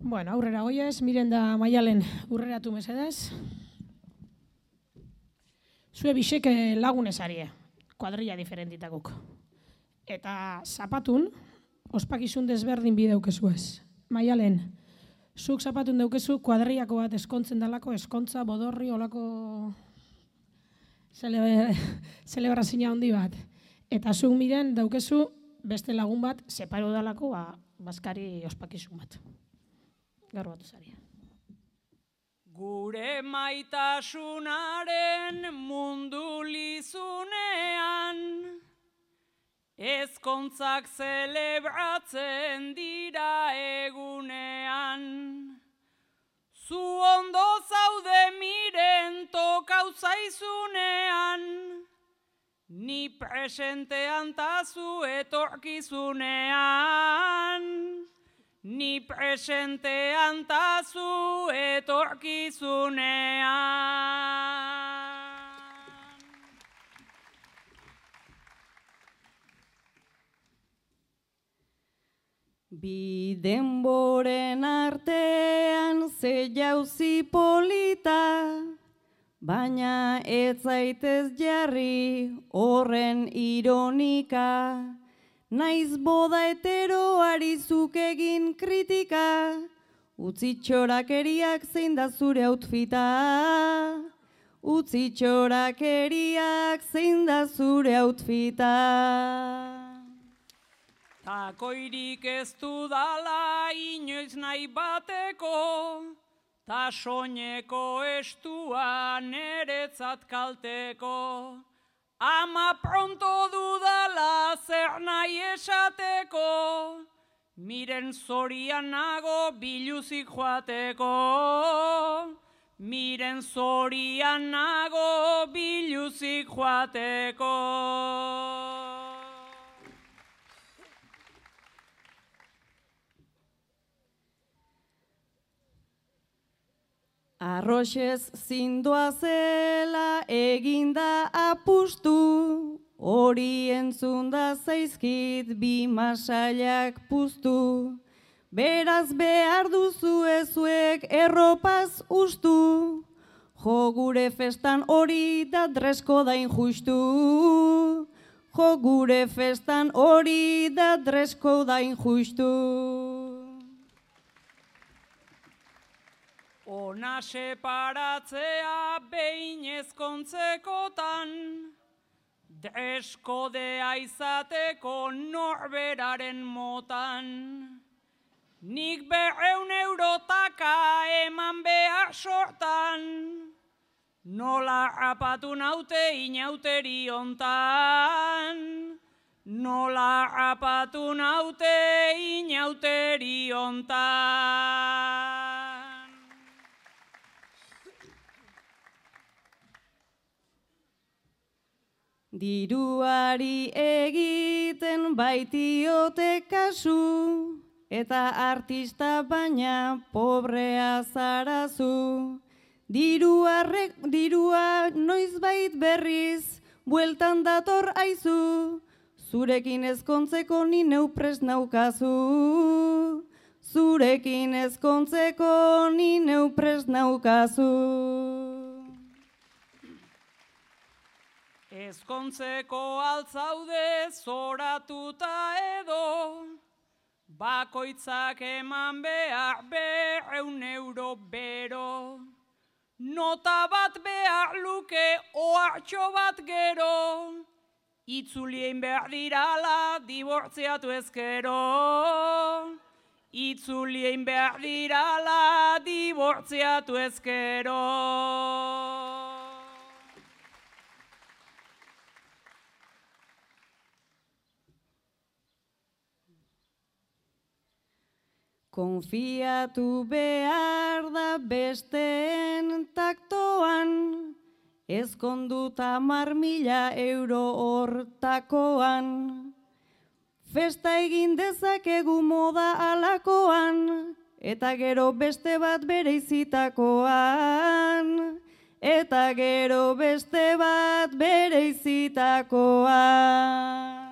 Bueno, aurrera goiez, miren da Maialen urreratu mesedez. Zue biseke lagunez arie, kuadrilla diferentitakuk. Eta zapatun, ospakizun desberdin bi daukezuez. Maialen, zuk zapatun daukezu kuadrillako bat eskontzen dalako, eskontza, bodorri, olako zelebrazioa handi bat. Eta zuk miren daukezu beste lagun bat separo dalako baskari ospakizun bat. Gaur batu zaria. Gure maitasunaren mundu lizunean, ezkontzak zelebratzen dira egunean. Zu ondo zaude miren tokau zaizunean, ni presentean ta zu etorkizunean. Ni presentean ta zu etorkizunean. Bi denboren artean ze jauzi polita, baina ez zaitez jarri horren ironika. Naiz boda heteroari zuk egin kritika, utzi txorakeriak zein da zure outfita. Utzi txorakeriak zein da zure outfita. Takoirik ez dudala inoiz nahi bateko, ta soineko estua neretzat kalteko. Ama pronto dudala zer nahi esateko, miren zorian nago biluzik joateko. Miren zorian nago biluzik joateko. Arroxez zindoa zela eginda apustu, hori entzunda zaizkit bi masailak puztu. Beraz behar duzu ezuek erropaz ustu, jo gure festan hori da dresko da injustu. Jo gure festan hori da dresko da injustu. Ona separatzea behin ezkontzekotan, dreskodea izateko norberaren motan. Nik 200 eurotaka eman behar sortan, nola rapatu naute inauteri hontan. Nola rapatu naute inauteri hontan. Diruari egiten baitiote kasu, eta artista baina pobrea zarazu. Dirua noizbait berriz, bueltan dator aizu, zurekin ezkontzeko ni neu prest naukazu. Zurekin ezkontzeko ni neu prest naukazu. Ezkontzeko altzaude zoratuta edo, bakoitzak eman behar 200 euro bero. Nota bat behar luke ohartxo bat gero, itzulien behar dirala dibortziatu ezkero. Itzulien behar dirala dibortziatu ezkero. Konfiatu behar da besteen taktoan, ezkonduta 10.000 euro hortakoan. Festa egin dezakegu moda alakoan, eta gero beste bat bereizitakoan. Eta gero beste bat bereizitakoan.